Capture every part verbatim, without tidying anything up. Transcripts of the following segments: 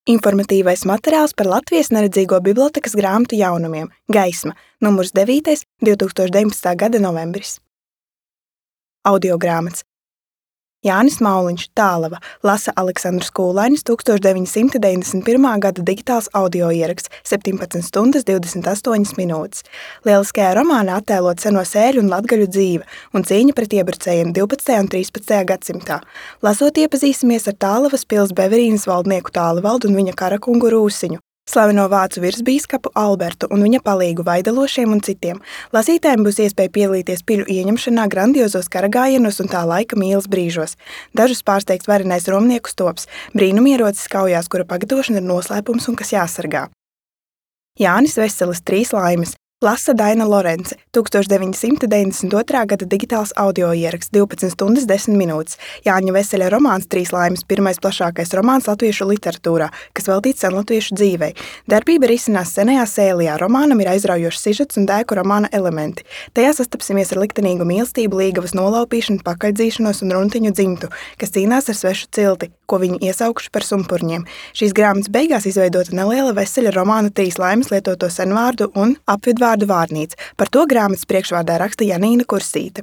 Informatīvais materiāls par Latvijas neredzīgo bibliotēkas grāmatu jaunumiem Gaisma, numurs devītais, divtūkstoš deviņpadsmitā gada novembris. Audiogrāmatas Jānis Mauliņš, Tālava, lasa Aleksandrs Kūlainis, tūkstoš deviņi simti deviņdesmit pirmā gada digitāls audioieraksts, septiņpadsmit stundas divdesmit astoņas minūtes. Lieliskajā romānā attēlot seno sēļu un latgaļu dzīve un cīņa pret iebrucējiem divpadsmitajā un trīspadsmitajā gadsimtā. Lasot iepazīsimies ar Tālavas pils Beverīnas valdnieku Tālavaldu un viņa karakungu Rūsiņu, slaveno vācu virsbīskapu Albertu un viņa palīgu Vaidalošiem un citiem. Lasītājiem būs iespēja piedalīties piļu ieņemšanā grandiozos karagājienos un tā laika mīles brīžos. Dažus pārsteigts varenais romnieku stops, brīnumierocis kaujās, kura pagatavošana ir noslēpums un kas jāsargā. Jānis Veselis, Trīs laimes. Lasa Daina Lorence, tūkstoš deviņi simti deviņdesmit otrā gada digitāls audioieraksts, divpadsmit stundas desmit minūtes. Jāņa Veseļa romāns Trīs laimes, pirmais plašākais romāns latviešu literatūrā, kas veltīts senlatviešu dzīvei. Darbība risinās senajā Sēlijā. Romānam ir aizraujošs sižets un dēku romāna elementi. Tajā sastapsimies ar liktenīgu mīlestību, līgavas nolaupīšanu, pakaļdzīšanos un runtiņu dzimtu, kas cīnās ar svešu cilti, ko viņi iesaukuši par sumpurņiem. Šīs grāmatas beigās izveidota neliela Veseļa romāna Trīs laimes lietoto senvārdu un apvidvārdu vārdu vārnīca. Par to grāmatas priekšvārdā raksta Janīna Kursīte.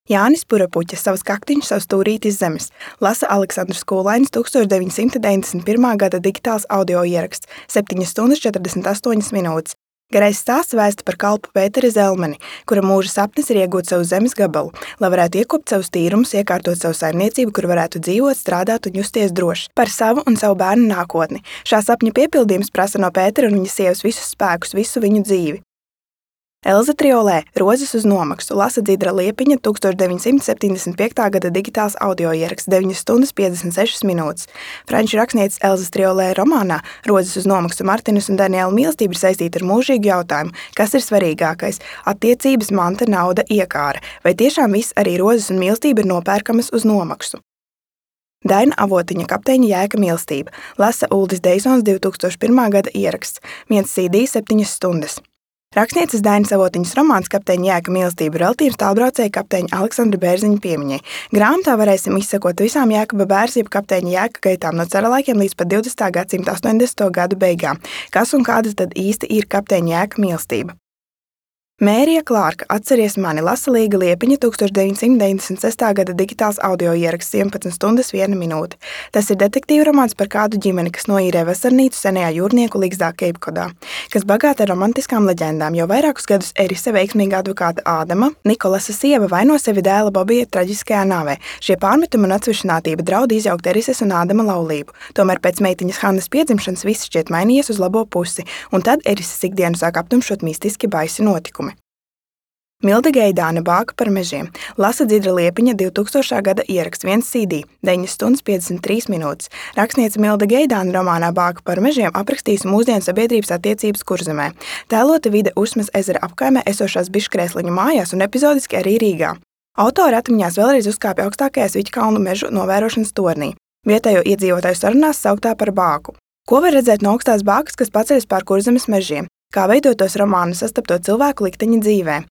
Jānis Purapuķa, savas kaktiņš, savu stūrīti iz zemes. Lasa Aleksandrs Kūlainis, tūkstoš deviņi simti deviņdesmit pirmā gada digitāls audioieraksts, septiņas stundas četrdesmit astoņas minūtes. Garais stāsts vēsta par kalpu Pēteri Zelmeni, kura mūža sapnis ir iegūt savu zemes gabalu, lai varētu iekopt savus tīrumus, iekārtot savu saimniecību, kur varētu dzīvot, strādāt un justies droši par savu un savu bērnu nākotni. Šā sapņa piepildījums prasa no Pētera un viņa sievas visus spēkus, visu viņu dzīvi. Elza Triolē, Rozes uz nomaksu, lasa Dzidra Liepiņa, tūkstoš deviņi simti septiņdesmit piekta gada digitāls audioieraksts, deviņas stundas piecdesmit sešas minūtes. Franču rakstnieces Elzas Triolē romānā Rozes uz nomaksu Martinas un Daniela mīlestība ir saistīta ar mūžīgu jautājumu, kas ir svarīgākais – attiecības, manta, nauda, iekāra. Vai tiešām viss, arī rozes un mīlestība, ir nopērkamas uz nomaksu? Daina Avotiņa, Kapteiņa Jēka mīlestība, lasa Uldis Deisons, divtūkstoš pirmā gada ieraksts, viens C D, septiņas stundas. Rakstnieces Dainas Avotiņas romāns Kapteiņa Jēka mīlestība veltīts tālbraucēja kapteiņa Aleksandra Bērziņa piemiņai. Grāmatā varēsim izsekot visām Jēkaba Bērza jeb kapteiņa Jēka gaitām no cara laikiem līdz pat divdesmitā gadsimta astoņdesmito gadu beigām. Kas un kāda tad īsti ir Kapteiņa Jēka mīlestība? Mērija Klārka, Atceries mani, lasa Līga Liepiņa, tūkstoš deviņi simti deviņdesmit sestā gada digitāls audioieraksts, vienpadsmit stundas viena minūte. Tas ir detektīva romāns par kādu ģimeni, kas noīrē vasarnīcu senajā jūrnieku ligzdā Keipkodā, kas bagāta ar romantiskām leģendām. Jau vairākus gadus Erise, veiksmīga advokāta Ādama, Nikolasa sieva, vaino sevi dēla Bobija traģiskajā nāvē. Šie pārmetumi un atsvešinātība draud izjaukt Erises un Ādama laulību. Tomēr pēc meitiņas Hannas piedzimšanas viss šķiet mainījies uz labo pusi, un tad Erises ikdienu sāk aptumšot mistiski baisi notikumi. Milda Geidāne, Bāka par mežiem, lasa Dzidra Liepiņa, divtūkstošā gada ieraksts, viens C D, deviņas stundas piecdesmit trīs minūtes. Rakstniece Milda Geidāne romānā Bāka par mežiem aprakstījusi mūsdienu sabiedrības attiecības Kurzemē. Tēlota vide Usmas ezera apkaimē esošās Biškrēsliņu mājās un epizodiski arī Rīgā. Autori atmiņās vēlreiz uzkāpja augstākajā Sviķkalnu mežu novērošanas tornī, vietējo iedzīvotāju sarunās sauktā par Bāku. Ko var redzēt no augstās Bākas, kas paceļas pār Kurzemes mežiem? Kā veidotos romānu sastapto cilvēku likteņa dzīvē?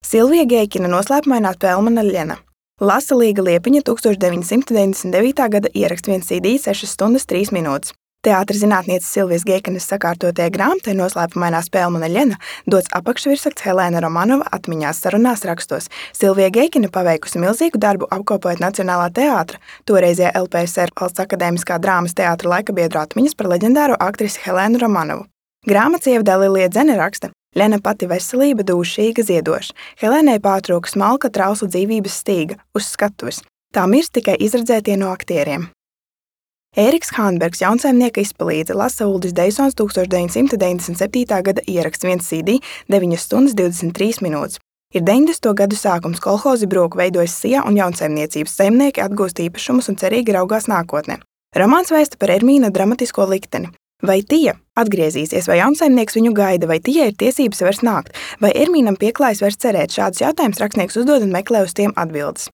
Silvija Geikina, Noslēpumainā pelmana Ļena. Lasa Līga Liepiņa, tūkstoš deviņi simti deviņdesmit devītā gada ieraksts, viens C D, sešas stundas trīs minūtes. Teātra zinātnieces Silvijas Geikinas sakārtotajai grāmatai Noslēpumainā pelmana Ļena dots apakšvirsraksts Helēna Romanova atmiņās sarunās rakstos. Silvija Geikina paveikusi milzīgu darbu apkopojot Nacionālā teātra, toreizajā L P S R Valsts akadēmiskā drāmas teātra laikabiedru atmiņas par leģendāro aktrisi Helēnu Romanovu. Grāmatas ievadē Lilija Dzene raksta: Ļena pati veselība dūšīga ziedoša. Helēnai pārtrūka smalka trausla dzīvības stīga uz skatuves. Tā mirst tikai izredzētie no aktieriem. Ēriks Hānbergs, jaunsaimnieka izpalīdze, lasa Uldis Deisons, tūkstoš deviņi simti deviņdesmit septītā gada ieraksts, viens C D, deviņas stundas divdesmit trīs minūtes. Ir deviņdesmito gadu sākums, kolhozi broku veidojas sijā un jaunsaimniecības saimnieki atgūst īpašumus un cerīgi raugās nākotnē. Romāns vēsta par Ermīna dramatisko likteni. Vai Tija atgriezīsies, vai jaunsaimnieks viņu gaida, vai Tijai ir tiesības vairs nākt, vai Ermīnam pieklājas vairs cerēt? Šādus jautājumus rakstnieks uzdod un meklē uz tiem atbildes.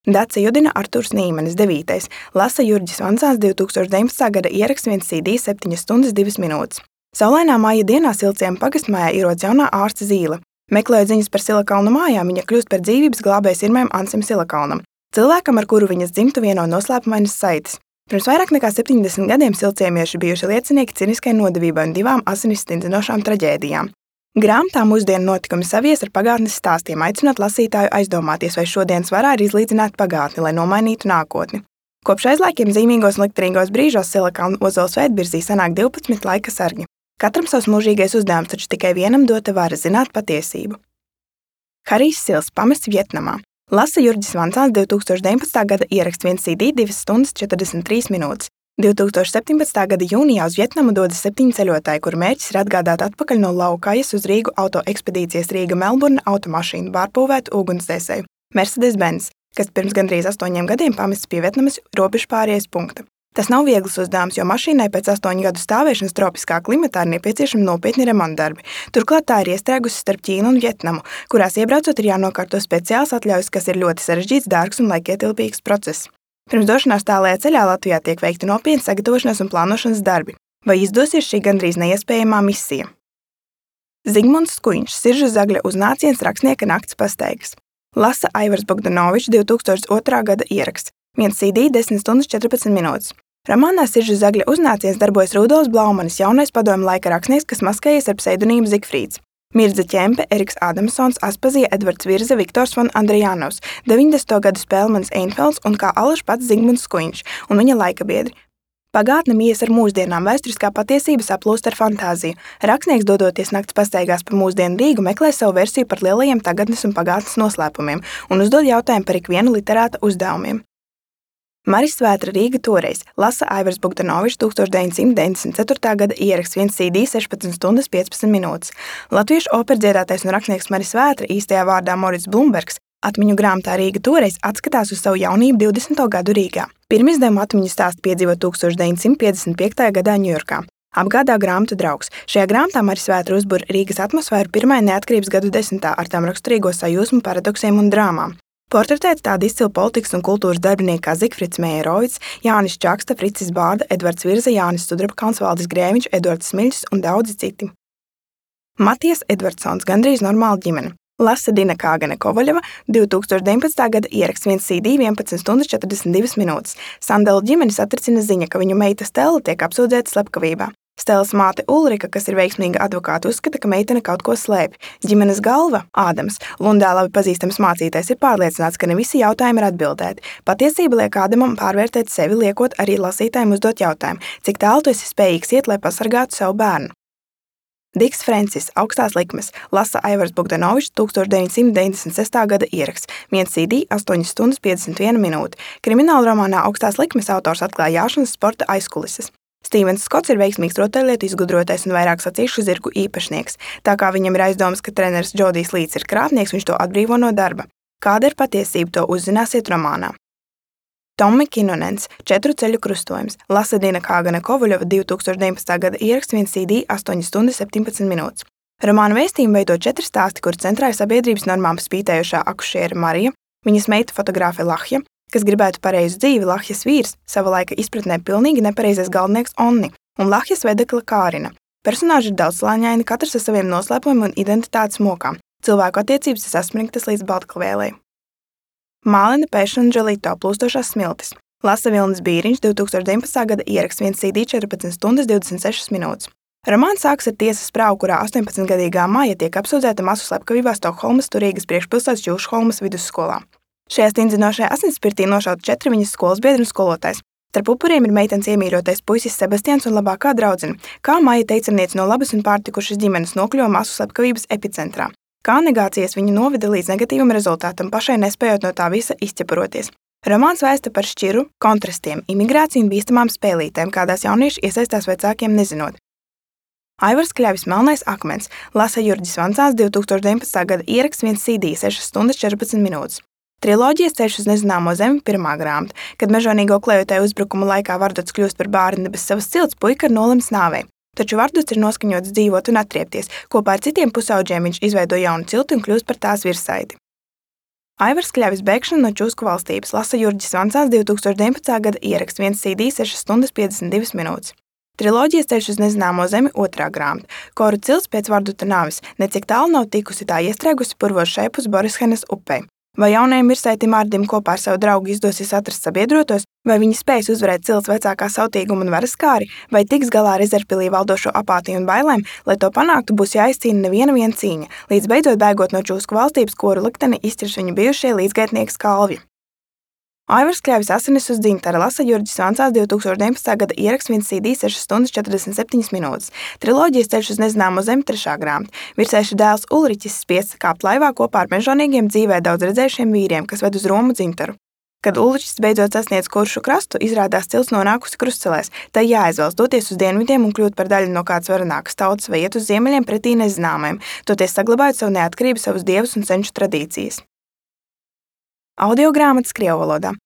Dace Judina, Artūrs Nīmanis, devītais, lasa Jurģis Vansāns, divtūkstoš deviņpadsmitā gada ieraksts, viens C D, septiņas stundas divas minūtes. Saulainā māja dienā Silciema pagastmājā ierodas jaunā ārsta Zīle. Meklējot ziņas par Silakalnu mājām, viņa kļūst par dzīvības glābēju sirmajam Ansim Silakalnam, cilvēkam, ar kuru viņas dzimtu vieno noslēpumainas saites. Pirms vairāk nekā septiņdesmit gadiem silciemieši bijuši liecinieki ciniskai nodevībai un divām asinis stindzinošām traģēdijām. Grāmatā mūsdienu notikumi savies ar pagātnes stāstiem, aicinot lasītāju aizdomāties, vai šodienas varā ir izlīdzināt pagātni, lai nomainītu nākotni. Kopš aizlaikiem zīmīgos un liktenīgos brīžos Silikā un Ozola svētbirzī sanāk divpadsmit laika sargi. Katram savs mūžīgais uzdevums, taču tikai vienam dota vara zināt patiesību. Harijs Sils pamests Vjetnamā. Lasa Jurģis Vancāns divi tūkstoši deviņpadsmitā gada ieraksts viens C D divas stundas četrdesmit trīs minūtes. divi tūkstoši septiņpadsmitā gada jūnijā uz Vjetnamu dodas septiņi ceļotāji, kuru mērķis ir atgādāt atpakaļ no Laukajas uz Rīgu autoekspedīcijas Rīga-Melburna automašīnu pārpūvētu ugunsdzēsēju Mercedes-Benz, kas pirms gandrīz astoņiem gadiem pamests pie Vjetnamas robežpārējas punkta. Tas nav viegls uzdevums, jo mašīnai pēc astoņu gadu stāvēšanas tropiskā klimatā ir nepieciešami nopietni remontdarbi. Turklāt tā ir iestrēgusi starp Ķīnu un Vjetnamu, kurās iebraucot ir jānokārto speciāls atļaujas, kas ir ļoti sarežģīts, dārgs un laikietilpīgs process. Pirms došanās tālajā ceļā Latvijā tiek veikti nopietni sagatavošanās un plānošanas darbi. Vai izdosies šī gandrīz neiespējamā misija? Zigmunds Skuiņš, Siržu Zagļa uznāciens rakstnieka nakts pastaigas. Lasa Aivars Bogdanovičs divi tūkstoši otrā gada ieraksts. viens C D desmit stundas četrpadsmit minūtes. Romānā Siržu Zagļa uznāciens darbojas Rudolfs Blaumanis, jaunais padomju laika rakstnieks, kas maskējies ar pseidonīmu Zigfrīds. Mirdza Ķempe, Eriks Ādamsons, Aspazija, Edvards Virze, Viktors von Andrijanovs, deviņdesmito gadu Spēlmanis Einfelds un kā alaž pats Zigmunds Skuiņš un viņa laika biedri. Pagātne mijas ar mūsdienām, vēsturiskā patiesība saplūst ar fantāziju. Rakstnieks, dodoties nakts pastaigās pa mūsdienu Rīgu, meklē savu versiju par lielajiem tagadnes un pagātnes noslēpumiem un uzdod jautājumu par ikvienu literāta uzdevumiem. Maris Svētra Rīga toreiz. Lasa Aivars Bogdanovičs tūkstoš deviņsimt deviņdesmit ceturtā gada ieraksts viens C D sešpadsmit stundas piecpadsmit minūtes. Latviešu operdziedātais un rakstnieks Maris Svētra, īstajā vārdā Morits Blumbergs, atmiņu grāmatā Rīga toreiz atskatās uz savu jaunību divdesmito gadu Rīgā. Pirmizdevuma atmiņu stāstu piedzīvo tūkstoš deviņsimt piecdesmit piektajā gadā Ņujorkā. Apgādā grāmatu draugs. Šajā grāmatā Maris Svētra uzbur Rīgas atmosfēru pirmajā neatkarības gadu desmitā ar tām raksturīgo sajūsmu, paradoksiem un drāmām. Portretēts tādi izcili politikas un kultūras darbinieki kā Zigfrids Mejerovics, Jānis Čaksta, Fricis Bārda, Edvards Virze, Jānis Sudrabkalns, Valdis Grēviņš, Eduards Smiļs un daudzi citi. Matijas Edvardsons, Gandrīz normāla ģimene. Lasa Dina Kāgane Kovaļeva, divi tūkstoši deviņpadsmitā gada ieraksts viens C D vienpadsmit stundas četrdesmit divas minūtes. Sandela ģimeni satricina ziņa, ka viņu meita Stela tiek apsūdzēta slepkavībā. Stelas māte Ulrika, kas ir veiksmīga advokāta, uzskata, ka meitene kaut ko slēpj. Ģimenes galva, Ādams, Lundā labi pazīstams mācītājs, ir pārliecināts, ka ne visi jautājumi ir atbildēti. Patiesība liek Ādamam pārvērtēt sevi, liekot arī lasītājiem uzdot jautājumu, cik tālu tu esi spējīgs iet, lai pasargātu savu bērnu. Diks Frencis, Augstās likmes, Lasa Aivars Bogdanovičs, tūkstoš deviņsimt deviņdesmit sestā gada ieraksts, viens C D astoņas stundas piecdesmit viena minūte. Krimināla romānā Augstās likmes autors atklāja jāšanas sporta aizkulises. Stīvens Skots ir veiksmīgs rotaļlietu izgudrotais un vairāk sacīkšu zirgu īpašnieks. Tā kā viņam ir aizdomas, ka treneris Džodijs Līts ir krāpnieks, viņš to atbrīvo no darba. Kāda ir patiesība, to uzzināsiet romānā. Tommi Kinonens, Četru ceļu krustojums, Lasa Dina Kāgane Kovaļova, divi tūkstoši deviņpadsmitā gada ieraksts viens C D astoņas stundas septiņpadsmit minūtes. Romāna vēstījumu veido četri stāsti, kur centrā ir sabiedrības normām spītējušā akušiere Marija, viņas meita fotogrāfe Lahja, kas gribētu pareizu dzīvi, Lahjas vīrs, sava laika izpratnē pilnīgi nepareizais galvenieks Onni un Lahjas vedekla Kārina. Personāži ir daudzslāņaini, katrs ar saviem noslēpumiem un identitātes mokām. Cilvēku attiecības ir sasmringtas līdz baltklivēlei. Mālena Pēšana Džolito, Plūstošās smiltis. Lasa Vilnis Bīriņš, divi tūkstoši deviņpadsmitā gada ieraksts viens C D četrpadsmit stundas divdesmit sešas minūtes. Romāns sāks ar tiesas prāvu, kurā astoņpadsmitgadīgā Maija tiek apsūdzēta masu slepkavībā Stokholmas Turīgas priekšpilsētas Jūšholmas vidusskolā. Šajā stingzinošajā asinsspirtī nošauti četri viņas skolas biedri un skolotājs. Starp upuriem ir meitenes iemīļotais puisis Sebastians un labākā draudzene, kā Maija teicamniece no labas un pārtikušas ģimenes nokļuva masu slepkavības epicentrā. Kā negācijas viņu noveda līdz negatīvam rezultātam, pašai nespējot no tā visa izķeparoties. Romāns vēsta par šķiru, kontrastiem, imigrāciju un bīstamām spēlītēm, kādās jaunieši iesaistās vecākiem nezinot. Aivars Kļavis Melnais akmens, Lasa Jurģis Vancāns, divi tūkstoši deviņpadsmitā gada ieraksts viens C D sešas stundas četrpadsmit minūtes. Triloģijas Ceļš uz nezināmo zemi pirmā grāmata, kad mežonīgo klejotāju uzbrukuma laikā Vardots kļūst par bārni bez savas cilts, puika ir nolems nāvei. Taču Vardots ir noskaņots dzīvot un atriepties. Kopā ar citiem pusauģiem viņš izveido jaunu cilti un kļūst par tās virsaiti. Aivars Kļavis bēgšana no Čūsku valstības, Lasa Jurģis Vancāns, divi tūkstoši deviņpadsmitā gada ieraksts viens C D sešas stundas piecdesmit divas minūtes. Triloģijas Ceļš uz nezināmo zemi otrā grāmata. Koru cilts pēc Vardota nāves, necik tālu nav tikusi tā iestrēgusi purvos šeipus Borishenes upei. Vai jaunajam virsētim Ārdim kopā ar savu draugu izdosies atrast sabiedrotos, vai viņi spēs uzvarēt cilts vecākā sautīguma un varas kāri, vai tiks galā ar Ezerpilī valdošo apātiju un bailēm, lai to panāktu, būs jāizcīna neviena viena cīņa, līdz beidzot bēgot no čūsku valstības, kuru likteni izķers viņu bijušie līdzgaitnieki Skalvji. Aivars Kļavis asinis uz dzintara lasa Jurģis Vancās divi tūkstoši deviņpadsmitā gada ieraksts viens C D sešas stundas četrdesmit septiņas minūtes. Triloģijas Ceļš uz nezināmo zemi trešā grāmata. Virsēša dēls Ulriķis spiests kāpt laivā kopā ar mežonīgiem dzīvē daudz redzējušiem vīriem, kas ved uz Romu dzintaru. Kad Ulriķis beidzot sasniedz Kuršu krastu, izrādās cilts nonākusi krustcelēs. Tai jāizvēlas doties uz dienvidiem un kļūt par daļu no kādas varenākas tautas vai iet uz ziemeļiem pretī nezināmajiem, toties saglabājot savu neatkarību, savus dievus un senču tradīcijas. Audiogrāmatas krievu валода.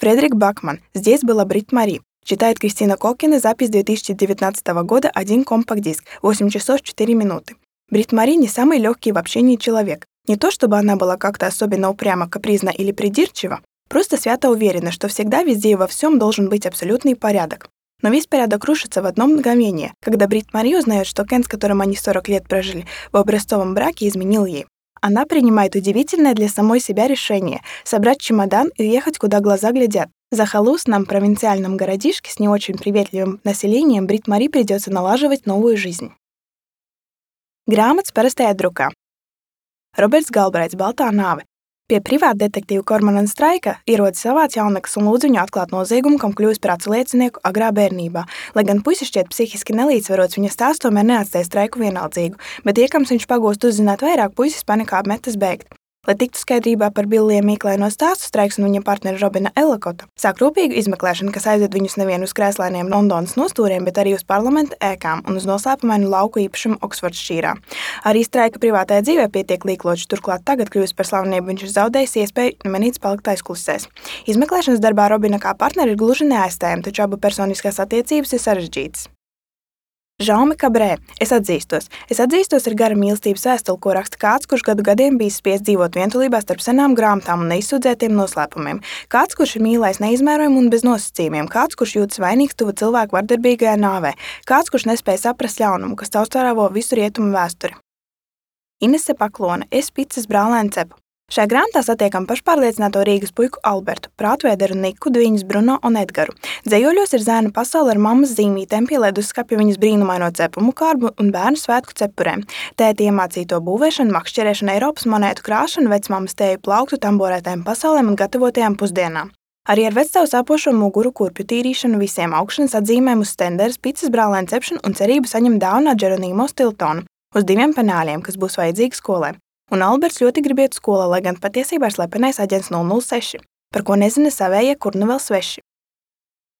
Фредерик Бакман. Здесь была Брит Мари. Читает Кристина Кокина. Запись две тысячи девятнадцатого года. Один компакт-диск. восемь часов четыре минуты. Брит Мари не самый легкий в общении человек. Не то, чтобы она была как-то особенно упряма, капризна или придирчива, просто свято уверена, что всегда, везде и во всем должен быть абсолютный порядок. Но весь порядок рушится в одно мгновение, когда Брит Мари узнает, что Кен, с которым они сорок лет прожили в образцовом браке, изменил ей. Она принимает удивительное для самой себя решение – собрать чемодан и ехать, куда глаза глядят. В захолустном провинциальном городишке с не очень приветливым населением Брит Мари придется налаживать новую жизнь. Grāmatas parastajā drukā. Roberts Galbraits, Baltā nāve. Pie privāta detektīva Kormana Straika ierodas savāds jauneklis un lūdz viņu atklāt noziegumu, kam kļuvis par acu liecinieku agrā bērnībā. Lai gan puisis šķiet psihiski nelīdzsvarots, viņa stāsts tomēr neatstāja Straiku vienaldzīgu, bet iekams viņš pagūst uzzināt vairāk, puisis panikā metas bēgt. Lai tiktu skaidrībā par Billija mīklaino stāstu, Straiks un viņa partneri Robina Ellakota sāk rūpīgu izmeklēšanu, kas aizved viņus nevien uz krēslainiem Londonas nostūriem, bet arī uz parlamenta ēkām un uz noslēpumainu lauku īpašumu Oksfordšīrā. Arī Straika privātajā dzīvē pietiek līkloču, turklāt tagad kļūst par slavenību, viņš ir zaudējis iespēju nemanīts palikt aizklusēs. Izmeklēšanas darbā Robina kā partneri ir gluži neaizstājami, taču abu personiskās attiecības ir sarežģītas. Žaume Kabrē. Es atzīstos. Es atzīstos ir gara mīlestības vēstule, ko raksta kāds, kurš gadu gadiem bijis spiests dzīvot vientulībā starp senām grāmatām un neizsūdzētiem noslēpumiem. Kāds, kurš ir mīlējis neizmērojumu un bez nosacījumiem. Kāds, kurš jūtas vainīgs tuva cilvēku vardarbīgajā nāvē. Kāds, kurš nespēja saprast ļaunumu, kas caurstārāvo visu rietumu vēsturi. Inese Paklone. Es picas brālēnu cepu. Šajā grāmatā satiekam pašpārliecināto Rīgas puiku Albertu, prātvēderu Niku, Dviņas Bruno un Edgaru. Dzejoļos ir zēna pasaule ar mammas zīmītēm, pie leduskapja viņas brīnumaino cepumu kārbu un bērnu svētku cepurēm. Tēti iemācīto būvēšanu, makšķerēšanu, Eiropas monētu krāšanu, vecmammas tēju plauktu, tamborētēm pasaulēm un gatavotajām pusdienām. Arī ar vectavu sāpošo muguru, kurpju tīrīšanu, visiem augšanas atzīmēm uz stenderes, picas brālēnu cepšanu un cerību saņemt dāvanu Džeronīmo Stiltonu uz diviem penāļiem, kas būs vajadzīgi skolē. Un Alberts ļoti grib iet skolā, lai gan patiesībā ir slepenais aģents nulle nulle seši, par ko nezina savējie, kur nu vēl sveši.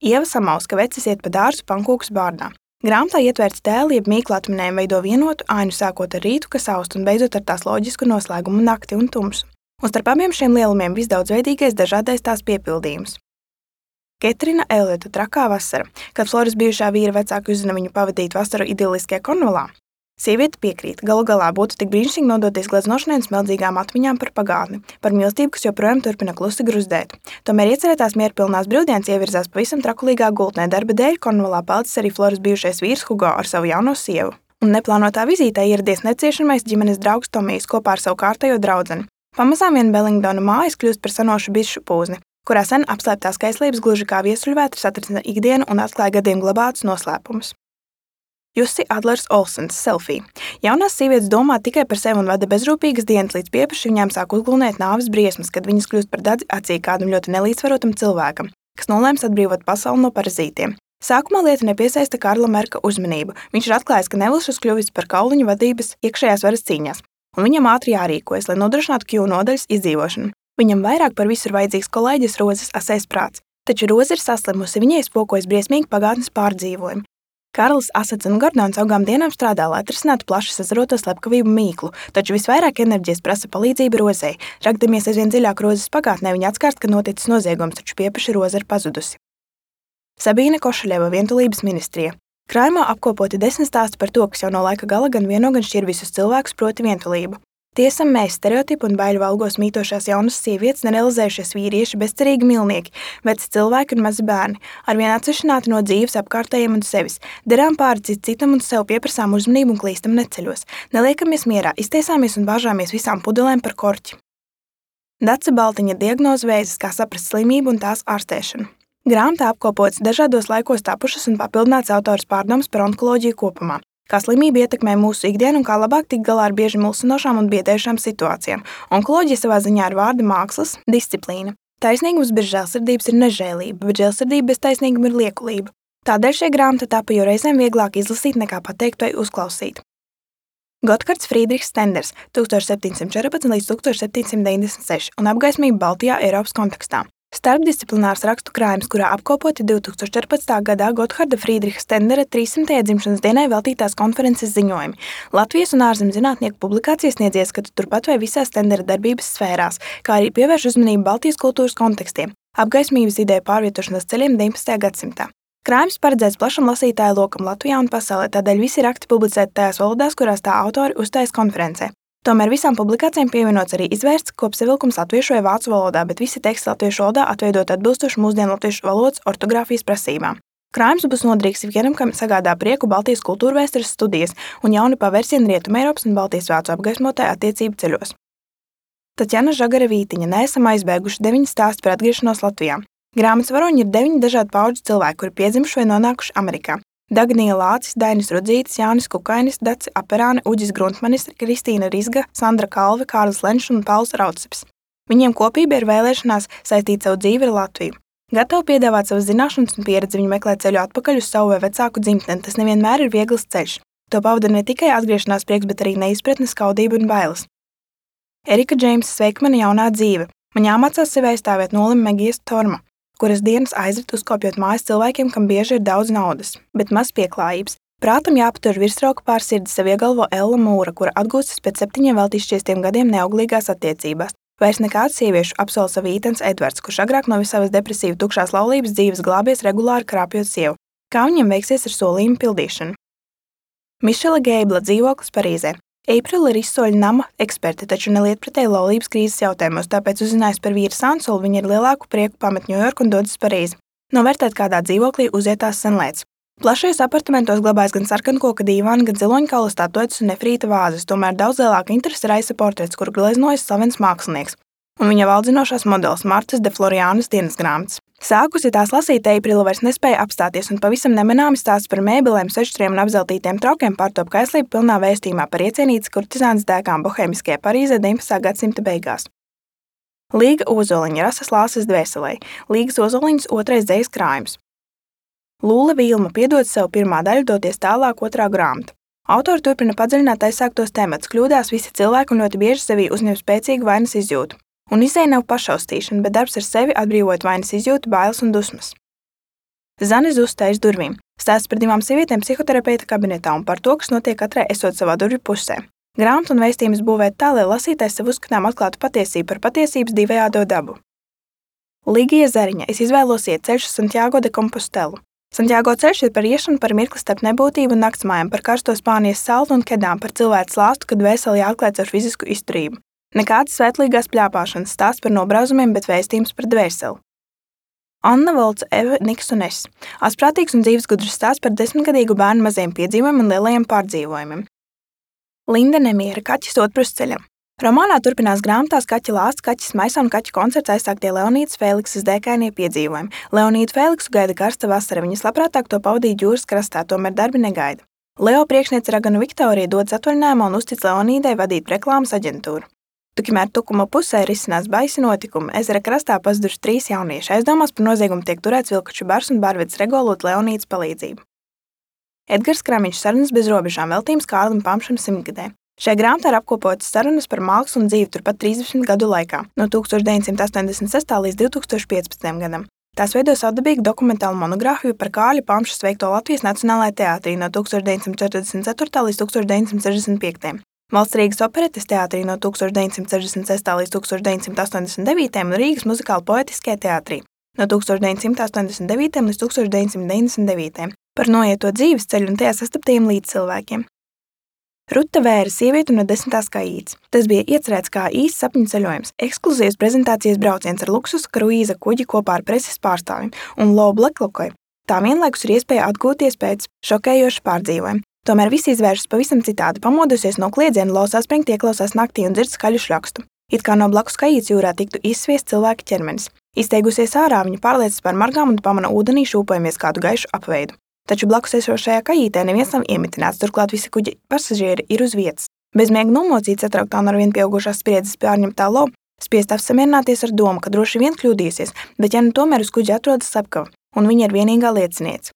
Ieva Samauska, vecis iet pa dārzu pankūkas bārdā. Grāmatā ietvērts tēli, jeb mīkla atminējumi veido vienotu ainu sākot ar rītu, kas aust un beidzot ar tās loģisku noslēgumu nakti un tumsu. Un starp abiem šiem lielumiem visdaudzveidīgais dažādais tās piepildījums. Ketrina Eliota Trakā vasara, kad Floras bijušā vīra vecāki uzzina viņu pavadīt vasaru idiliskajā Kornvalā. Sieviete piekrīt, galu galā būtu tik brīnišķīgi nodoties gleznošanai un smeldzīgām atmiņām par pagātni, par mīlestību, kas joprojām turpina klusi gruzdēt. Tomēr iecerētās mierpilnās brīvdienas ievirzās pavisam trakulīgā gultnē. Darba dēļ Kornvalā palicis arī Floras bijušais vīrs Hugo ar savu jauno sievu. Un neplānotā vizītē ieradies neciešamais ģimenes draugs Tomijs kopā ar savu kārtējo draudzeni. Pamazām vien Bellingdona mājas kļūst par sanošu bišu pūzni, kurā sen apslēptās kaislības gluži kā viesuļvētras atrasina ikdienu un atklāja gadiem glabātus noslēpumus. Jussi Adlers Olsens, selfie. Jaunās sievietes domā tikai par sevi un vada bezrūpīgas dienas, līdz piepaši viņām sāk uzglūnēt nāves briesmas, kad viņas kļūst par dadzi acī kādam ļoti nelīdzsvarotam cilvēkam, kas nolēms atbrīvot pasauli no parazītiem. Sākumā lieta nepiesaista Karla Merka uzmanību. Viņš ir atklājis, ka Nevilšs kļuvis par kauliņu vadības iekšējās varas cīņās, un viņam ātri jārīkojas, lai nodrošinātu Q nodaļas izdzīvošanu. Viņam vairāk par visu ir vajadzīgs kolēģis Rozes asais prāts, taču Roze ir saslimusi, viņai spokojas briesmīgi pagātnes pārdzīvojumi. Karls, Asats un Gordons augām dienām strādā, lai atrisinātu plaši sazaroto slepkavību mīklu, taču visvairāk enerģijas prasa palīdzība Rozei. Ragdamies aizvien dziļāk Rozes pagātnē, viņa atskārst, ka noticis noziegums, taču piepaši Roze ir pazudusi. Sabīne Košaļeva, Vientulības ministrija. Krājumā apkopoti desmit stāsti par to, kas jau no laika gala gan vieno gan šķir visus cilvēkus, proti vientulību. Tiesam mēs stereotipu un baiļu valgos mītošās jaunas sievietes, nerealizējušies vīrieši, bezcerīgi milnieki, veci cilvēki un mazi bērni, arvien atsevišķināti no dzīves apkārtējiem un sevis, derām pāri cit citam un sev pieprasām uzmanību un klīstam neceļos, neliekamies mierā, iztiesāmies un bāžāmies visām pudelēm par korķi. Dace Baltiņa diagnoze vēzis, kā saprast slimību un tās ārstēšanu. Grāmatā apkopotas dažādos laikos tapušas un papildināts autors pārdomas par onkoloģiju kopumā, kā slimība ietekmē mūsu ikdienu un kā labāk tikt galā ar bieži mulsinošām un biedējušām situācijām. Onkoloģija savā ziņā ir vārda mākslas disciplīna. Taisnīgums bez žēlsirdības ir nežēlība, bet žēlsirdība bez taisnīguma ir liekulība. Tādēļ šie grāmata tapa, jo reizēm vieglāk izlasīt nekā pateikt vai uzklausīt. Gothards Friedrichs Stenders tūkstoš septiņsimt četrpadsmit līdz tūkstoš septiņsimt deviņdesmit seši un apgaismība Baltijā Eiropas kontekstā. Starpdisciplinārs rakstu krājums, kurā apkopoti divtūkstoš četrpadsmitā gadā Gotharda Friedricha Stendera trīssimtajai dzimšanas dienai veltītās konferences ziņojumi. Latvijas un ārzemju zinātnieku publikācijas sniedz ieskatu turpat vai visās Stendera darbības sfērās, kā arī pievērš uzmanību Baltijas kultūras kontekstiem, apgaismības ideju pārvietošanās ceļiem deviņpadsmitajā gadsimtā. Krājums paredzēts plašam lasītāju lokam Latvijā un pasaulē, tādēļ visi raksti publicēti tajās valodās, kurās tā autori uzstājas konferencē. Tomēr visām publikācijām pievienots arī izvērsts kopsavilkums latviešu vai vācu valodā, bet visi teksti latviešu valodā atveidot atbilstoši mūsdienu latviešu valodas ortogrāfijas prasībām. Krājums būs noderīgs ikvienam, kam sagādā prieku Baltijas kultūrvēstures studijas un jauni pavērsieni Rietumeiropas un Baltijas vācu apgaismotāju attiecību ceļos. Tatjana Žagara-Vītiņa neesam aizbēguši deviņi stāsti par atgriešanos Latvijā. Grāmatas varoņi ir deviņi dažādu paudžu cilvēki, kuri piedzimuši vai nonākuši Amerikā. Dagnija Lācis, Dainis Rudzītis, Jānis Kukainis, Dace Aperāne, Uģis Gruntmanis, Kristīna Rizga, Sandra Kalve, Kārlis Lenšs un Pauls Raucips. Viņiem kopība ir vēlēšanās saistīt savu dzīvi ar Latviju. Gatavi piedāvāt savas zināšanas un pieredzi, viņi meklē ceļu atpakaļ uz savu vai vecāku dzimteni. Tas nevienmēr ir viegls ceļš. To pavada ne tikai atgriešanās prieks, bet arī neizpratne, skaudība un bailes. Erika Džeimsa Sveikmana jaunā dzīve. Man jāmācās sevi aizstāvēt nolim Megijas Torma, kuras dienas aizrit uzkopjot mājas cilvēkiem, kam bieži ir daudz naudas, bet maz pieklājības. Prātam jāpatur virsroka pār sirdi, sev iegalvo Ella Mūra, kura atgūstas pēc septiņiem vēl izšķiestiem gadiem neauglīgās attiecībās. Vairs nekāds sieviešu apsola savu Ītens Edvards, kurš agrāk no savas depresīva tukšās laulības dzīves glābies regulāri krāpjot sievu. Kā viņam veiksies ar solījumu pildīšanu? Mišela Geibla dzīvoklis Parīzē. Aprila ir izsoļu nama eksperte, taču nelietpratēji laulības krīzes jautājumos, tāpēc uzzinājis par vīru Sansolu, viņa ar lielāku prieku pamet Ņujorku un dodas Parīzi. Novērtēt kādā dzīvoklī uzietās senlēts. Plašajos apartamentos glabājas gan sarkankoka dīvāni, gan ziloņkaula statuetes un nefrīta vāzes, tomēr daudz lielāka interese raisa portrets, kuru gleznojas slavens mākslinieks, un viņa valdzinošās modelis Martas de Floriānas dienas grāmatas. Sākusi tās lasīt, Aprila vairs nespēja apstāties un pavisam nemanāmi stāsts par mēbelēm, sešstriem un apzeltītiem traukiem pārtop kaislību pilnā vēstījumā par iecienītas kurtizānas dēkām bohēmiskajā Parīzē deviņpadsmitā gadsimta beigās. Līga Ozoliņa, Rasas Lāses dvēselē, Līgas Ozoliņas otrais dzejas krājums. Lūle Vilma piedod savu pirmā daļu, doties tālāk otrā grāmata. Autori turpina padziļināt aizsāktos temats, kļūdās visi cilvēki un ļoti bieži sevī uzņem spēcīgu vainas izjūtu. Un izēja nav pašaustīšana, bet darbs ar sevi atbrīvot vainas izjūtu, bailes un dusmas. Zane Zusta aiz durvīm. Stāsts par divām sievietēm psihoterapeita kabinetā un par to, kas notiek katrai esot savā durvju pusē. Grāmatu un vēstījumus būvēt tā, lai lasītājs sev uzskatām atklātu patiesību par patiesības divējādo dabu. Ligija Zariņa. Es izvēlos iet ceļš uz Santiago de Compostelu. Santiago ceļš ir par iešanu par mirkli starp nebūtību un naktsmājām, par karsto Spānijas saltu un kedām, par cilvēku slāstu, kad vēseli jāatklāj ar fizisku izturību. Nekādas svētlīgās pļāpāšanas, stāsts par nobrauzumiem, bet vēstījums par dvēseli. Anna Volca, Eva Niks un es. Asprātīgs un dzīves gudrs stāsts par desmitgadīgu bērnu maziem piedzīvojumiem un lielajiem pārdzīvojumiem. Linda Nemiera, Kaķis otprusceļam. Romānā turpinās grāmatās Kaķa lāsts, Kaķis maisā un Kaķa koncerts aizsāktie Leonīdas Fēliksas dēkainie piedzīvojumi. Leonīdu Fēliksu gaida karsta vasara, viņas labprātāk to pavadīt jūras krastā, tomēr darbi negaida. Leo priekšniece Raganu Viktorija dodas atvaļinājumā un uztic Leonīdai vadīt reklāmas aģentūru. Tikmēr tukuma pusē risinās baisi notikumi. Ezera krastā pazuduši trīs jaunieši. Aizdomās par noziegumu tiek turēts vilkaču bars un bārvedis regulot Leonīdas palīdzību. Edgars Kramiņš sarunas bez robežām veltījums Kārlim Pamšam simtgadē. Šajā grāmatā ir apkopotas sarunas par mākslu un dzīvi turpat trīsdesmit gadu laikā, no tūkstoš deviņsimt astoņdesmit sestā līdz divi tūkstoši piecpadsmitajam gadam. Tās veido savdabīgu dokumentālu monogrāfiju par Kārļa Pamša veikto Latvijas Nacionālajā teātrī no tūkstoš deviņsimt četrdesmit ceturtā līdz tūkstoš deviņsimt sešdesmit piektajam. Valsts Rīgas operetes teātrī no tūkstoš deviņsimt sešdesmit sestā līdz tūkstoš deviņsimt astoņdesmit devītajam un Rīgas muzikāla poetiskajā teātrī no tūkstoš deviņsimt astoņdesmit devītajam līdz tūkstoš deviņsimt deviņdesmit devītajam par noieto dzīves ceļu un tajā sastaptajiem līdzcilvēkiem. Ruta Vēra, sieviete no desmitās kaītes. Tas bija iecerēts kā īsts sapņu ceļojums, ekskluzīvs prezentācijas brauciens ar luksus kruīza kuģi kopā ar preses pārstāvjiem un Lo Blacklockoi. Tā vienlaikus ir iespēja atgūties pēc šokējoša pārdzīvojuma. Tomēr viss izvēršas pavisam citādi. Pamodusies no kliedziena, Lo saspringti ieklausās naktī un dzird skaļu šļakstu. It kā no blakus kajītes jūrā tiktu izsviests cilvēka ķermenis. Izteigusies ārā, viņa pārliecas par margām un pamana ūdenī šūpojamies kādu gaišu apveidu. Taču blakus esošajā kajītē neviens nav iemitināts, turklāt visi kuģa pasažieri ir uz vietas. Bezmiega nomocīta, satrauktā un arvien pieaugušās spriedzes pārņemtā Lo spiest apsamierināties ar domu, ka droši vien kļūdījusies, bet ja nu tomēr uz kuģa atrodas slepkava, un viņa ir vienīgā lieciniece.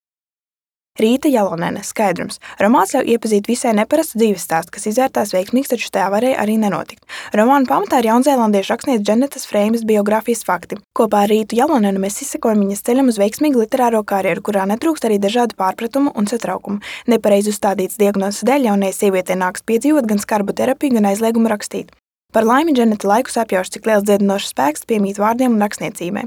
Rīta Jalonene, skaidrums. Romāns ļauj iepazīt visai neparastu dzīves stāstu, kas izvērtās veiksmīgs, taču tajā varēja arī nenotikt. Romāna pamatā ir jaunzēlandiešu rakstnieces Dženetas Freimas biogrāfijas fakti. Kopā ar Rītu Jalonenu mēs izsekojam viņas ceļam uz veiksmīgu literāro karjeru, kurā netrūkst arī dažādu pārpratumu un satraukumu. Nepareizi uzstādīts diagnozes dēļ jaunajai sievietei nāks piedzīvot gan skarbu terapiju, gan aizliegumu rakstīt. Par laimi Dženeta laikus apjauš, cik liels dziedinošs spēks piemīt vārdiem un rakstniecībai.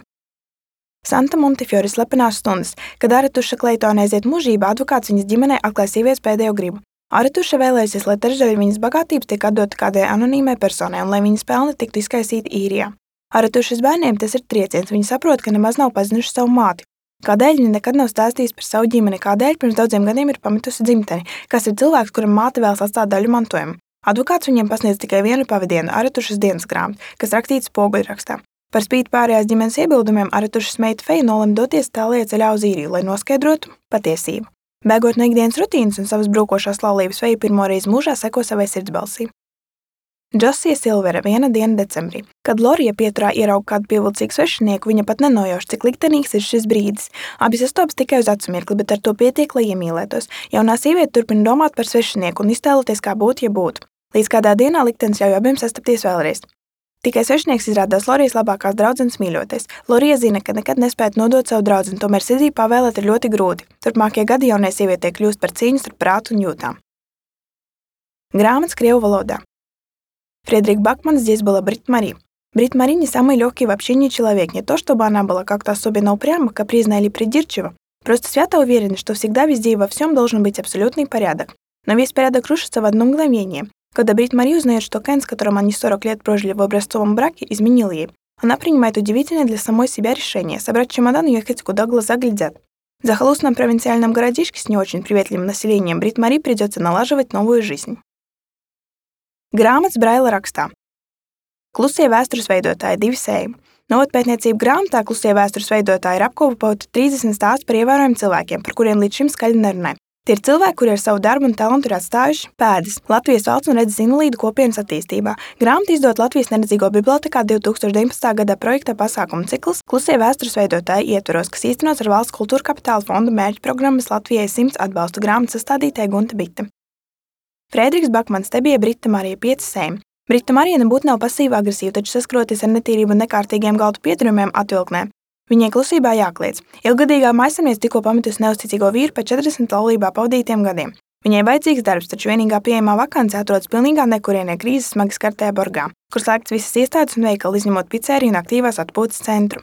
Santa Montefiore slepenās stundas, kad Aretuša Kleitone aiziet mūžībā, advokāts viņas ģimenei atklāja sievietes pēdējo gribu. Aretuša vēlējusies, lai trešdaļa viņas bagātības tiek atdota kādai anonīmai personai un lai viņas pelni tiktu izkaisīti īrijā. Aretušas bērniem tas ir trieciens, viņi saprot, ka nemaz nav pazinuši savu māti. Kādēļ viņa nekad nav stāstījis par savu ģimeni, kādēļ pirms daudziem gadiem ir pametusi dzimteni, kas ir cilvēks, kuram māte vēlas atstāt daļu mantojumu. Advokāts viņiem pasniedz tikai vienu pavadienu, Aretušas dienas grāmatu, kas rakstīts spoguļrakstā. Par spīti pārējās ģimenes iebildumiem Aretušas meita Feja nolemj doties tālajā ceļā uz īriju, lai noskaidrotu patiesību. Bēgot no ikdienas rutīnas un savas brūkošās laulības, Feja pirmo reizi mūžā seko savai sirdsbalsī. Džosija Silvera, viena diena decembrī. Kad Lorija pieturā ierauga kādu pievilcīgu svešinieku, viņa pat nenojauš, cik liktenīgs ir šis brīdis. Abi sastopas tikai uz acu mirkli, bet ar to pietiek, lai iemīlētos. Jaunā sieviete turpina domāt par svešinieku un iztēloties, kā būtu, ja būtu. Līdz kādā dienā liktenis ļauj abiem sastapties vēlreiz. Tikai svešinieks izrādās Lorijas labākās draudzenes mīļoties. Lorija zina, ka nekad nespētu nodot savu draudzeni, tomēr sirdī pavēlēt ir ļoti grūti. Turpmākie gadi jaunai sievietei kļūst par cīņu starp prātu un jūtām. Grāmatas krievu valodā. Фредерик Бакман здесь была Брит Мари. Брит Мари не самый легкий в общении человек, не то чтобы она была как-то особенно упряма, капризна или придирчива, просто свято уверена, что всегда везде и во всем должен быть абсолютный порядок. Но весь порядок рушится в одно мгновение. Когда Брит Мари узнает, что Кен, с которым они сорок лет прожили в образцовом браке, изменил ей, она принимает удивительное для самой себя решение собрать чемодан и ехать, куда глаза глядят. В захолустном провинциальном городишке с не очень приветливым населением Брит Мари придется налаживать новую жизнь. Grāmatas Braila rakstā. Klusie vēstures veidotāji divi sējumi. Novatpētniecību grāmatā Klusie vēstures veidotāji ir apkopoti trīsdesmit stāstu par ievērojumiem cilvēkiem, par kuriem līdz šim skaļi nerunāja. Tie ir cilvēki, kuri ar savu darbu un talantu ir atstājuši pēdas Latvijas valsts un redzes invalīdu kopienas attīstībā. Grāmata izdot Latvijas neredzīgo bibliotekā divi tūkstoši deviņpadsmitā gadā projekta pasākumu cikls Klusie vēstures veidotāji ietvaros, kas īstenots ar Valsts kultūra kapitāla fonda mērķu programmas Latvijai simts atbalstu grāmatu sastādītāja Gunta Bite. Frederiks Bakmans te bija Brita Marija pieci sējumi. Brita Marija nebūtu nav pasīva agresīva, taču saskroties ar netīrību un nekārtīgiem galdu pieturumiem atvilknē. Viņai klusībā jākliedz. Ilgadīgā maisaimniece tikko pametusi neusticīgo vīru pēc četrdesmit laulībā pavadītiem gadiem. Viņai vajadzīgs darbs, taču vienīgā pieejamā vakance atrodas pilnīgā nekurienē krīzes smagi skartajā Borgā, kur slēgts visas iestādes un veikali, izņemot picēriju un aktīvās atpūtas centru.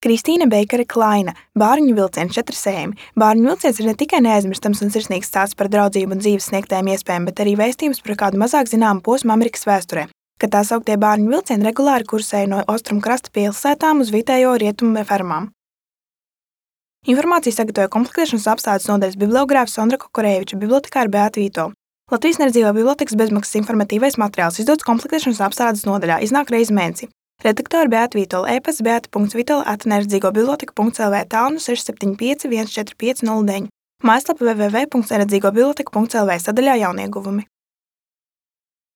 Kristīna Beikere Klaina, Bārņu vilciens četri sējumi. Bārņu vilciens ir ne tikai neaizmirstams un sirsnīgs stāsts par draudzību un dzīves sniegtajām iespējām, bet arī vēstījums par kādu mazāk zināmu posmu Amerikas vēsturē, kad tā sauktie Bārņu vilcieni regulāri kursēja no austrumu krasta pilsētām uz vietējo rietumu fermām. Informāciju sagatavoja komplektēšanas apstādes nodaļas bibliogrāfs Sondra Kokoreviča, bibliotekāra Beata Vītola. Latvijas neredzīgo bibliotekas bezmaksas informatīvais materiāls izdots komplektēšanas apstādes nodaļā, iznāk reizi mēnesī. Redaktori Beata Vītola, e-pasts beata punkts vitola at neredzīgo biblioteka punkts lv, tālruni seši septiņi pieci viens četri pieci nulle deviņi. Mājaslapa w w w punkts neredzīgo biblioteka punkts lv, sadaļā jaunieguvumi.